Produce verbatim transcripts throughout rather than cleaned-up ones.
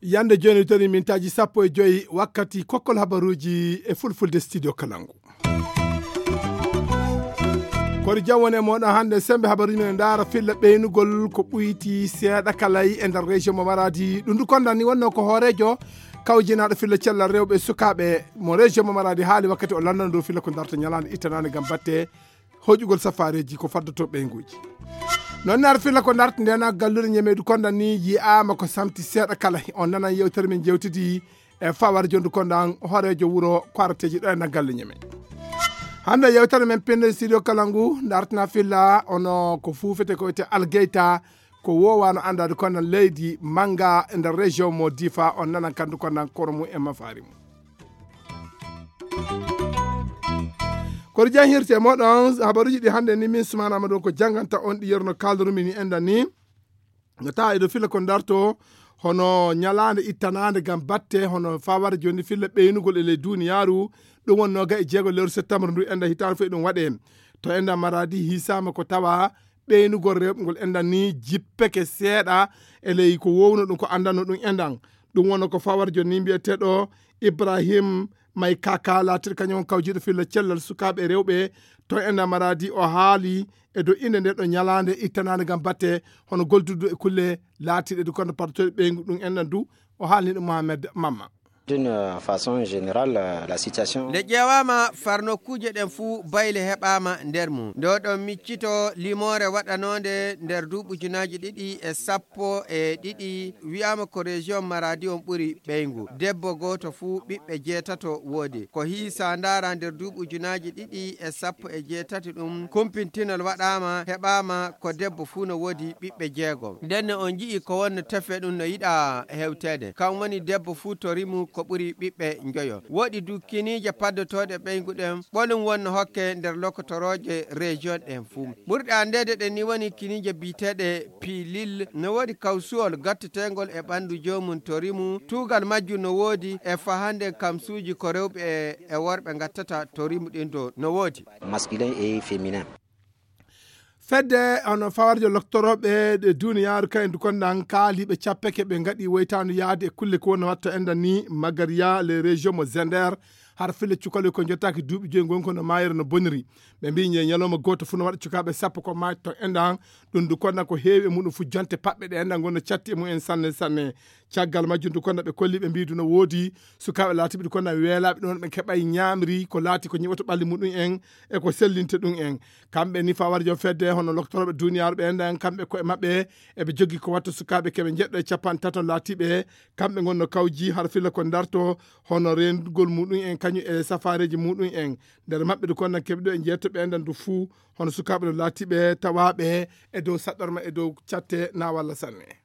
Yande jooni toni mintaaji sappo e joyi wakkati kokkol habaruuji e fulfulde studio Kalangu. Kono jam woni e moɗon hannde sembe habaruuji men ndaara filla ɓeynugol ko ɓuyti seeɗa kalay e nder région mo Maradi. Ɗum du kondan ni wonno ko hooreejo kawjinaaɗo filla cellal rewɓe e sukaaɓe mo région mo Maradi haali wakkati o lannano dow filla ko darta ñalaande ittanaande ngam batte hoƴugol safaareeji ko faddoto ɓeynguuji. Noon ne ar filla ko darta ndena galluɗe ñemeedu kondan ni yi'aama ko samti seeɗa kala. On nanan yewtere men jewtidi e fawar jondu kondan hooreejo wuro ko arateeji ɗo e naggalle ñeme. Hannde yewtere men pinde studio kala ngu dartina filla ono ko fuufete ko wiyete Algeyta, ko wowano andade kondan leydi manga e nder région mo Difa. On nanan kandu kondan koro mum e mafaari mum. Kono jahirte moɗon habaruji ɗi hannde ni min Sumana Amadou ko janganta on ɗi yerno kaldorumi ni endan ni. No tawa eɗo fila ko darto hono ñalaande ittanande ngam batte hono fawar joni filla ɓeynugol e ley duniyaaru. Ɗum wonno ga e jeego lewru septembre ndu enda hitaande fof eɗum waɗe to enda Maradi hisama ko tawa ɓeynugol rewɓe ngol endan ni jippeke seeɗa e ley ko wowno ɗum ko andanno ɗum endan. Ɗum wonno ko fawar joni ni mbiyeteɗo Ibrahim may kaka laatiɗo kañum on kawjiɗo filla cellal sukaaɓe rewɓe to enda Maradi. O haali e dow inde nde ɗo ñalaande ittanaande ngam batte hono goldudu e kulle laatiɗe du kono partoɗe ɓeygu ɗum enɗan du. O haalni ɗum Mohamed Mamma. D'une façon générale, euh, la situation. Nde ƴeewaama far nokkuuje ɗen fuu bayle heɓaama nder mum. Nde oɗon miccito limoore waɗanoonde nder duuɓi ujunaaji ɗiɗi e sappo e ɗiɗi, wi'aama ko région Maradi on ɓuri ɓeyngu. Debbo gooto fuu ɓiɓɓe jeetato woodi. Ko hiisa ndaara nder duuɓi ujunaaji ɗiɗi e sappo e jeetati ɗum, kumpintinol waɗaama, heɓaama ko debbo fuu no woodi ɓiɓɓe jeegom. Ndenne on nji'i ko wonno tefe ɗum no yiɗa hewteede. Kam woni debbo fuu to rimu ko ɓuri ɓiɓɓe njoyo. Woodi du kiniije paddotooɗe ɓeyngu ɗen, ɓolum wonno hokke nder lokotorooje région ɗen fuu. Ɓurɗe anndeede ɗen ni woni kiniije biyeteeɗe pilil, no woodi kawsuwol gatteteengol e ɓanndu joomum to rimu. Tuugal majjum no woodi e fahande kamsuuji ko rewɓe e, e worɓe ngattata to rimu ɗin do no woodi. Masculin et féminin. Fedde hono fawarjo loktorooɓe ɗe duniyaaru kayen du kondan kaaliiɓe cappeke ɓe ngaɗi woytaandu yaade e kulle ko wonno watta endan ni Magariya les régions mo Zender. Har fille cukaloy ko jottaaki duuɓi joyi ngon kono maayere no boniri. Ɓe mbiyi ñe ñalawma gooto fuu no waɗa cukaaɓe sappo ko maayta to endan. Ɗum du kondan ko heewi e muɗum fuu jonte paɓɓe ɗe endan ngonno catti e mumen sanne sanne. Caggal majjum du kondan ɓe kolli ɓe mbiyi du no woodi sukaaɓe laatiɓe du kondan weelaaɓe ɗum ɓe keɓay ñaamri ko laati ko ñiɓoto ɓalli muɗum en e ko sellinte ɗum en. Kamɓe ni fawar jom fedde hono loktorooɓe duniyaaru ɓe endan kamɓe koye maɓɓe eɓe joggi ko watta sukaaɓe keɓe jeɗɗo e capanɗe tato laatiɓe kamɓe ngonno kawji har filla ko darto hono renndugol muɗum en kañum e safaareeji muɗum en. Nder maɓɓe du kondan keɓe ɗo e jeetto ɓe endan du fuu hono sukaaɓe no laatiɓe tawaaɓe e dow saɗɗorma e dow catte na walla sanne.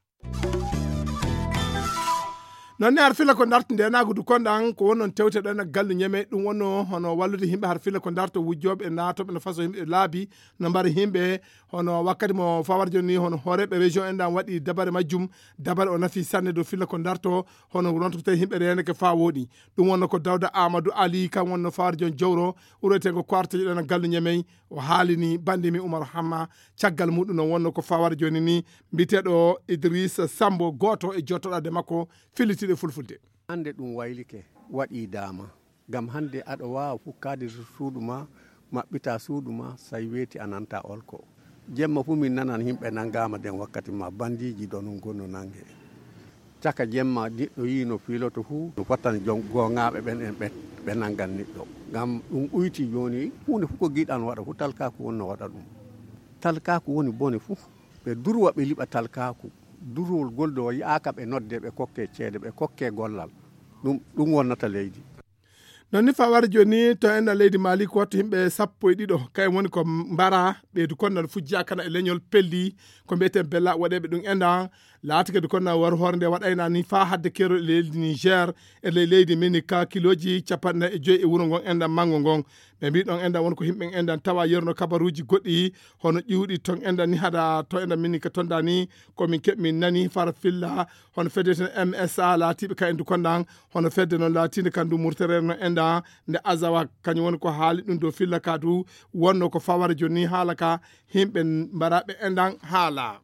Noon ne ar fila ko darti ndenaagu du kondan ko wonnon tewte ɗo e gallu ñeme ɗum wonno hono wallude yimɓe har fila ko darto wujjooɓe e naatooɓe no faso yimɓe laabi no mbara yimɓe hono wakkati mo fawar joni hono hooreeɓe région endan waɗi dabare majjum. Dabare o nafi sanne dow fila ko darto hono ronto tawi yimɓe reneke faa wooɗi. Ɗum wonno ko Dawda Amadou Ali kan wonno fawar jon jowro uretengo ko artaji ɗo e gallu ñemey. O haalini bande mi Umar Hamma. Caggal muɗum no wonno ko fawar joni ni mbiyeteɗo Idrissa Sambo gooto e jottoɗaade makko fillitiiɗo e fulfulde. Hannde ɗum waylike waɗi daama ngam hannde aɗo waawa fukkaade to suudu ma maɓɓita suudu ma say weeti a nanta olko. Jemma fuu min nanan yimɓe nanngaama nden wakkati ma bandiiji ɗo nun gonno nannge. Caka jemma niɗɗo yii no fiiloto fuu no fottani jom gooŋaaɓe ɓen en ɓe ɓe nanngan niɗɗo. Ngam ɗum ɓuyti jooni huunde fuu ko giɗan waɗa fuu talkaaku wonno waɗa ɗum. Talkaaku woni bone fuu. Ɓe durwa ɓe liɓa talkaaku. Durwol gol do yi'aaka ɓe nodde ɓe kokke ceede ɓe kokke gollal. Ɗum ɗum wonnata leydi. Noon ni fawar joni to enɗan leydi Mali ko wattu yimɓe sappo e ɗiɗo kayen woni ko mbara ɓeydu kondan fujja kana e leñol pelli ko mbiyeten bella waɗeɓe ɗum enɗan. Laati kadi kono war hoore nde waɗayna ni faa hadde keerol e leydi Niger, e ley leydi Minika, kilooji capanɗe nayi e joyi e wuro ngon enɗan manngo ngon. Ɓe mbii ɗon enɗan won ko yimɓe enɗan tawa yerno kabaruuji goɗɗi, hono ƴiwɗi ton enɗan ni hada to enɗan Minika ton da ni, ko min keɓ min nani fara filla, hono fedde ten M S A laatiiɓe ka endu konɗan, hono fedde noon laatiinde kan du murtere no enɗan nde Azawa, kañum woni ko haali ɗum dow filla ka du, wonno ko fawara jooni ni haala ka, yimɓe mbaraaɓe enɗan haala.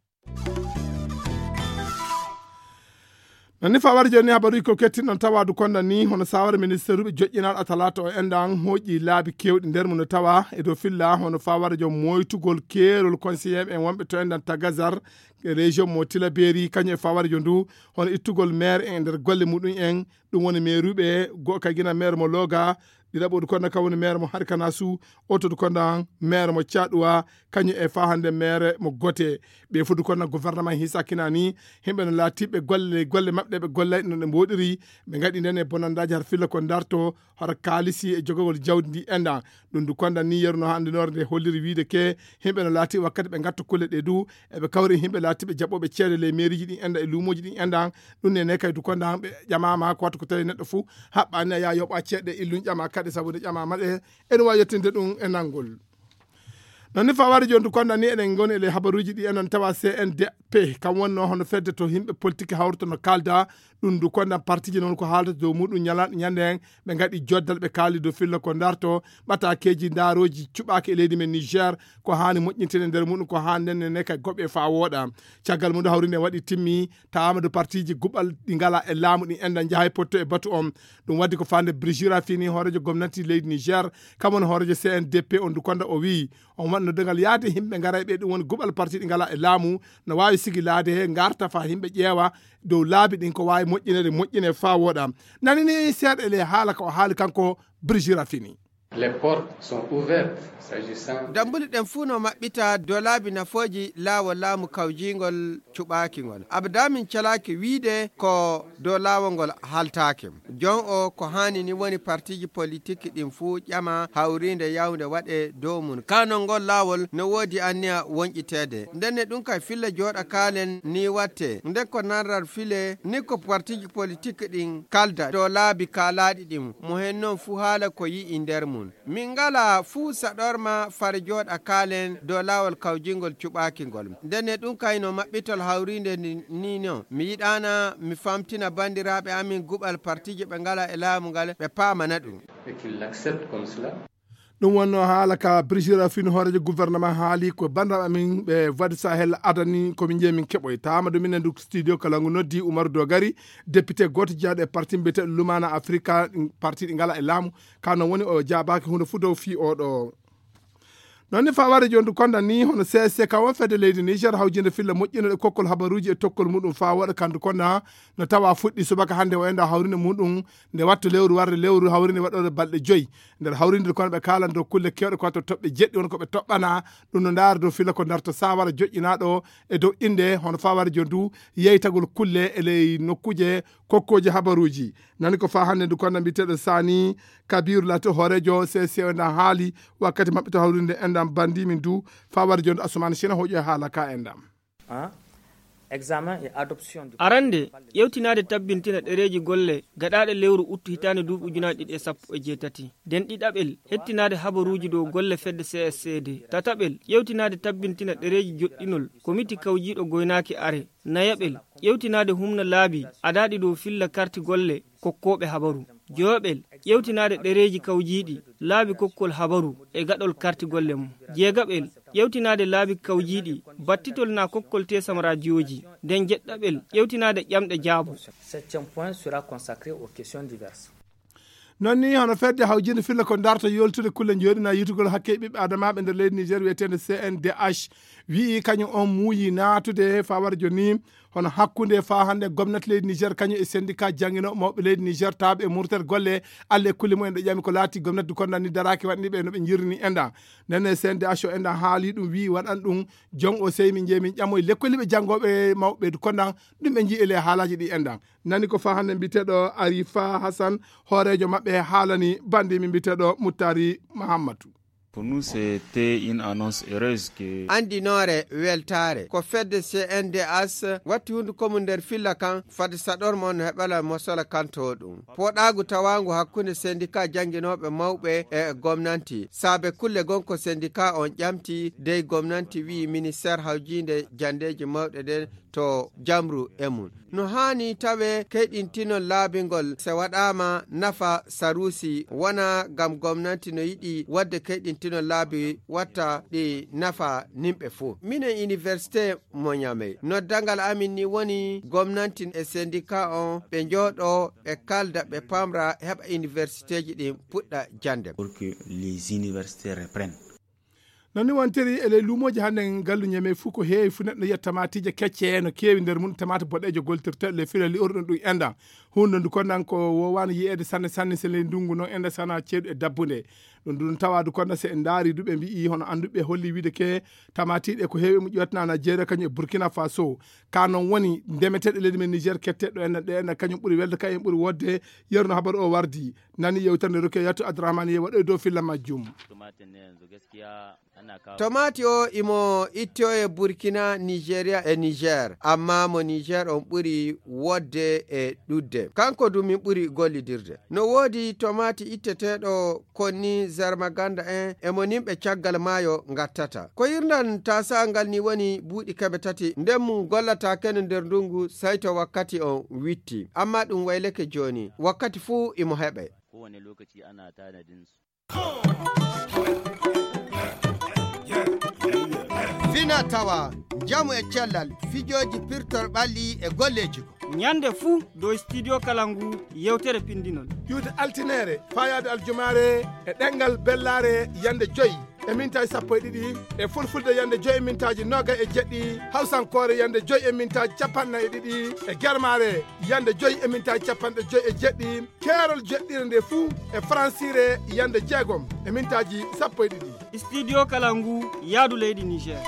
Nani fawara jooni ni habaruuji ko kettin ɗon tawa du konda ni, hono sawara ministeeruɓe joƴƴinaaɗo a talaata o enɗan hooƴi laabi keewɗi nder mum no tawa e dow filla, hono fawara joom moytugol keerol conseiller en wonɓe to enɗan tagazar e région mo Tilaberi, kañum e fawara joom du, hono ittugol maire en e nder golle muɗum en, ɗum woni mairuɓe go-, ka gina maire mo Loga, ɗiɗaɓo du konda ka woni maire mo Harkanasu, oto du konda maire mo Caɗuwa, kañum e fa hannde maire mo Gote. Ɓe fof du konda gouvernement hisa kinani, yimɓe no laatiɓe golle, golle maɓɓe ɗe ɓe gollay no ɗe mboɗiri, ɓe ngaɗi nden e bonandaaji har filla ko darto, har kaalisi e jogagol jawdi ndi enɗan. Ɗum du konda ni yeru no hannde noore nde holliri wiide ke, yimɓe no laati wakkati ɓe ngatta kulle ɗe du, eɓe kawri yimɓe laatiɓe jaɓɓooɓe ceede ley mairiji ɗin enɗan e luumooji ɗin enɗan. Ɗum ne ne kay du konda ɓe ƴamaama ko wattu ko tawi neɗɗo fof haɓɓani a yaa yoɓa ceeɗe illum ƴama kadi sabu nde ƴamaama ɗe, ene waawi yettinde ɗum e nanngol. Non ni fawari jooni du konda ni eɗen ngoni e ley habaruuji ɗi enon tawa C N D P, kam wonno hono fedde to yimɓe politique hawrata no kalda, ɗum du konda partiji noon ko haalata dow muɗum ñala-, ñande en, ɓe ngaɗi joddal ɓe kaali dow filla ko darto, ɓatakeeji ndaarooji cuɓaaki e leydi men Niger, ko haani moƴƴintene nder muɗum, ko haani nden ne kay goɓe faa wooɗa. Caggal mum ɗo hawri nde waɗi timmi, tawaama dow partiji guɓal ɗi ngala e laamu ɗi enɗan njahay potto e batu on. Ɗum waddi ko faande Brigitte Raffini, hooreejo gomnati leydi Niger, kam woni hooreejo C N D P on du konda o wi'i, on waɗno dengal yaade yimɓe ngaray ɓe ɗum woni guɓal parti ɗi ngala e laamu, no waawi sigilaade he ngarta faa yimɓe ƴeewa dow laabi ɗin ko waawi moƴƴinede, moƴƴine faa wooɗa. Nani ni seeɗa e ley haala ko o haali kanko Brigitte Raffini. Les portes sont ouvertes s'agissant. Dambuli ɗen fuu no maɓɓita dow laabi nafooji laawol laamu kawjiingol cuɓaaki ngol. Abada min calaaki wiide ko dow laawol ngol haltaaki. Jon o ko haani ni woni partiji politik ɗin fuu ƴama hawriinde yawnde waɗe dow mum. Ka non ngol laawol no woodi anniya wonƴiteede. Ndenne ɗum kay filla jooɗa kaalen ni watte. Nde ko nanrar file ni ko partiji politik ɗin kalda dow laabi kaalaaɗi ɗin. Mo hen non fuu haala ko yi'i nder mum. Min ngala fuu saɗorma fare jooɗa kaalen dow laawol kawjingol cuɓaaki ngol. Ndenne ɗum kay no maɓɓitol hawriinde ni, ni no. Mi yiɗaana mi famtina banndiraaɓe amin guɓal partiiji ɓe ngala e laamu ngal, ɓe paamana ɗum. Et qu'il l'accepte comme cela. Ɗum wonno haala ka Brigitte Raffini hooreejo gouvernement haali ko banndiraaɓe amin ɓe Wadi Sahel adani ko min jeeyi min keɓoy. Taama ɗum minen du studio kala ngu noddi Umaru Dogari, député gooto jeyaaɗo e parti mbiyeteeɗo Lumana Afrika, parti ɗi ngala e laamu. Ka non woni o jaabaaki huunde fuu dow fii oɗo. Non ni faware jooni du konda ni hono C S C ka won fedde leydi Niger hawjinde filla moƴƴinol e kokkol habaruuji e tokkol muɗum faa waɗa kandu konda no tawa fuɗɗi subaka hannde o enda hawrinde muɗum nde wattu lewru warde lewru hawrinde waɗore balɗe joyi. Nder hawrinde kono ɓe kaalan dow kulle kewɗe ko to toɓɓe jeɗɗi won ko ɓe toɓɓana ɗum no ndaara dow filla ko darto sawara joƴƴinaaɗo e dow innde hono faware jooni du yeytagol kulle e ley nokkuuje kokkooji habaruuji. Nani ko faa hannde ndu konda mbiyeteeɗo Sani Kabiru laati hooreejo C C O nda haali wakkati maɓɓe to hawrinde enɗan bandi min du faware jooni Asumani Sina hoƴo e haala ka enɗan. Hein? Examen et adoption du Arande, yewtinaade tabbintina ɗereeji golle gaɗaaɗe lewru uttu hitaande duuɓi ujunaaji ɗiɗi e sappo e jeetati. Den ɗiɗaɓel, hettinaade habaruuji dow golle fedde C S C D. Tataɓel, yewtinaade tabbintina ɗereeji joɗɗinol komiti kawjiiɗo goynaaki are. Nayaɓel, yewtinaade humna laabi adaaɗi dow filla karti golle kokkooɓe habaru. Joyoɓel, yewtinaade ɗereeji kawjiiɗi laabi kokkol habaru e gaɗol karti golle mum. Jeegaɓel, yewtinaade laabi kawjiiɗi battitol naa kokkol teesam raajiyooji. Nden jeɗɗaɓel, yewtinaade ƴamɗe jaabo. Septième point sera consacré aux questions diverses. Non ni hono fedde hawjinde filla ko darta yoltude kulle jooɗina yitugol hakke ɓiɓɓe adamaaɓe nder leydi Niger wiyeteende C N D H wi'i kañum on muuyi naatude fawara jooni hono hakkunde faa hannde gomnati leydi Niger kañum e syndicat jannginooɓe mawɓe leydi Niger tawɓe e murtere golle alle e kulle mumen ɗo ƴami ko laati gomnati du konda ni daraaki waɗani ɓe no ɓe njirrini enɗan. Nden e C N D H o enɗan haali ɗum wi'i waɗan ɗum jon o sey min jeyi min ƴamoy lekkolliiɓe janngooɓe mawɓe du kondan ɗum ɓe njii e ley haalaaji ɗi enɗan. Nani ko faa hannde mbiyeteeɗo Arifa Hassan hooreejo maɓɓe haalani bandi min mbiyeteeɗo Muttari Mahammatu. Pour nous, c'était une annonce heureuse que Anndinoore weltaare. Ko fedde C N D H watti hunnduko mum nder filla kan, fade saɗor mon heɓala mosala kanto ɗum. Poɗaagu tawaangu hakkunde sendika jannginooɓe mawɓe e gomnanti. Saabe kulle gon ko sendika on ƴamti, dey gomnanti wi'i ministeer hawjiinde janndeeji mawɗe ɗen to jamru e mum. No haani tawe keyɗintinol laabingol se waɗaama nafa saruusi, wona ngam gomnanti no yiɗi waɗde keyɗintinol laabi watta ɗi nafa nimɓe fuu. Minen université mo Ñamey, noddangal amin ni woni gomnanti e sendika on ɓe njooɗo ɓe kalda ɓe pamra heɓa universitéji ɗin puɗɗa jannde. Pour que les universités reprennent. Non ni wontiri e ley luumooji hannde ngallu Ñamey fuu ko heewi fuu neɗɗo yiya tamaatiije kecce no keewi nder mum tamaati boɗeejo goltirteeɗo ley fila li'orɗum ɗum enda. Huunde ndu konnan ko woowaano yiyeede sanne sanne se ley ndunngu noon enda sana ceeɗu e dabbunde. Ɗum ɗum tawa du konnan se en ndaari du ɓe mbi'i hono annduɓe holli wiide ke tamaatiiɗe ko heewi e mum ƴoytana Nigeria kañum e Burkina Faso. Ka noon woni ndemeteeɗe leydi men Niger ketteeɗo enda ɗe enda kañum ɓuri welde kañum ɓuri wodde. Yerno habaru o wardi nani yewtere nde Ruke Yatu Abdurrahman ye waɗoy dow filla majjum. Tomaati o imo ittoye Burkina, Nigeria e Niger, amma mo Niger on ɓuri wodde e ɗudde. Kanko du min ɓuri gollidirde. No woodi tomaati itteteeɗo konni Zarmaganda en e mo nimɓe caggal maayo ngattata. Ko hirnan taasa'al ngal ni woni buuɗi kebe tati, nden mum gollata kene nder ndungu, sai to wakkati on witti. Amma ɗum wayleke jooni, wakkati fuu imo heɓe. Kowane lokaci ana tanadin su. Fina tawa, njamu e cellal, fijooji pirtor ɓalli e golleeji ko. Ñande fuu dow Studio Kalangu yewtere pindinol. Ƴuwde altineere, faayaade aljumaare e ɗemngal bellaare yande joy e mintaaji sappo e ɗiɗi, e fulfulde yande joy e mintaaji noga e jeɗɗi, hawsankoore yande joy e mintaaji capanɗe e ɗiɗi, e germaare yande joy e mintaaji capanɗe joy e jeɗɗi, keerol jeɗɗire nde fuu e faransiire yande jeegom e mintaaji sappo e ɗiɗi. Studio Kalangu yaadu leydi Niger.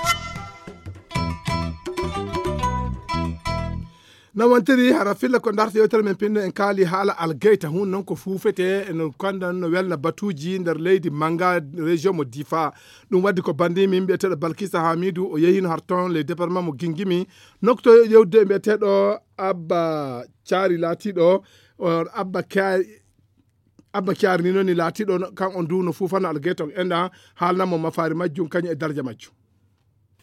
No wontiri hara filla ko darta yewtere men pinno en kaali haala algeyta hun noon ko fuufete no kondan no welna batuuji nder leydi manga région mo Difa. Ɗum waddi ko bandi min mbiyeteeɗo Balkisa Hamidu o yehino har toon le département mo Gingimi nokto yewde mbiyeteeɗo Abba Caari laatiiɗo on Abba Caari Abba Caari ni noon ni laatiiɗo kan on duuno fuufano algeyta on enɗa haalnamo mafaari majjum kañum e darja majjum.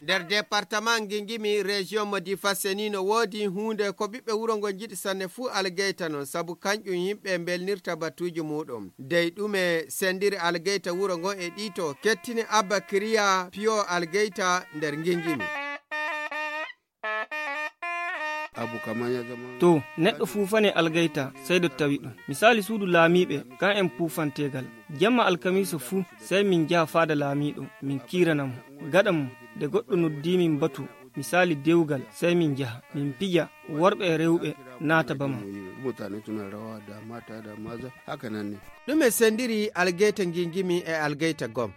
Nder departement Ngingimi région mo Difa seni no woodi huunde ko ɓiɓɓe wuro ngo njiɗi sanne fuu algeyta non sabu kanƴum yimɓe mbelnirta batuuji muuɗum. Dey ɗume sendiri algeyta wuro ngo e ɗiito kettini Abba Kiriya piyo algeyta nder Ngingimi. To neɗɗo fuufane algayta sey ɗo tawi ɗum. Misaali suudu laamiiɓe kan en puufanteegal. Jemma alkamiisa fuu sey min njaha faada laamiiɗo min kiirana mo. Gaɗa mum de goɗɗo noddii min batu misaali dewgal sey min njaha min pija worɓe e rewɓe naata bama. Ɗume sendiri algayta ngingimi e algayta gom?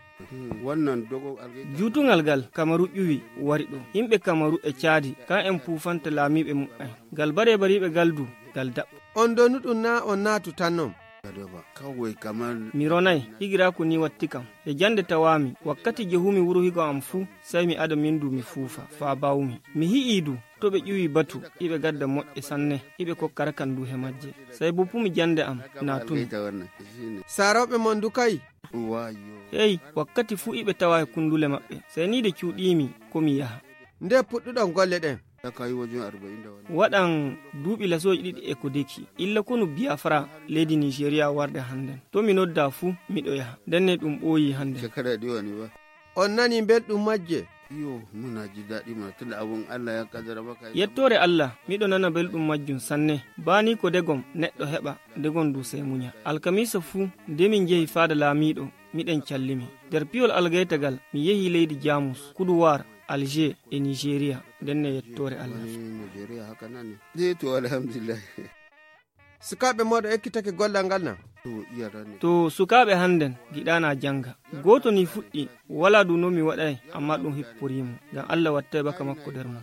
Juutungal gal Kamaru ƴuwi wari ɗo. Yimɓe Kamaru e caadi kan en puufanta laamiiɓe muɓɓen. Gal bare bariiɓe gal du gal daɓɓo. On donu ɗum na on naatu tan non. Mi ronay higiraaku ni watti kam. E jannde tawaami wakkati jehumi wuro higo am fuu sey mi ada min du mi fuufa faa baawmi. Mi hi'ii du to ɓe ƴuwi batu iɓe gadda moƴƴe sanne iɓe kokka rakan du he majje. Sey boppumi jannde am naatumi. Saarooɓe mon du kay. Hey, wakkati fuu iɓe tawa e kundule maɓɓe. Sey nii de cuuɗiimi ko mi yaha. Nde puɗɗuɗon golle ɗen? Waɗan duuɓi lasooji ɗiɗi e ko deki. Illa konu Biafra leydi Nigeria warde hannden. To mi nodda fuu miɗo yaha. Ndenne ɗum ɓooyi hannden. On nani belɗum majje? Yettoore Allah, miɗo nana belɗum majjum sanne. Baani ko degom neɗɗo heɓa, degom du sey muña. Alkamiisa fuu nde min njehi faada laamiiɗo, miɗen callimi. Nder piyol algaytagal mi yehi leydi Jaamus, Kuduwaar, Alger e Nigeria. Ndenne yettoore Allah. Sukaaɓe mooɗon ekkitake gollal ngal na? To sukaaɓe hannden giɗaana jannga. Gooto ni fuɗɗi, walaa du no mi waɗay, amma ɗum hipporii mo. Ngam Allah wattay baka makko nder mum.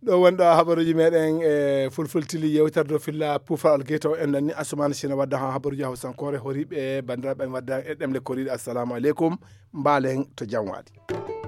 Ɗo wonɗo habaruuji meɗen e fulfultili yewtere dow filla pufal algeta o en nanni Asumani Sina wadda ha habaruuji hawsankoore horiɓe e bandiraɓe en wadda e ɗemle koriɗe. Assalamu aleykum. Mbalen to jam waɗi.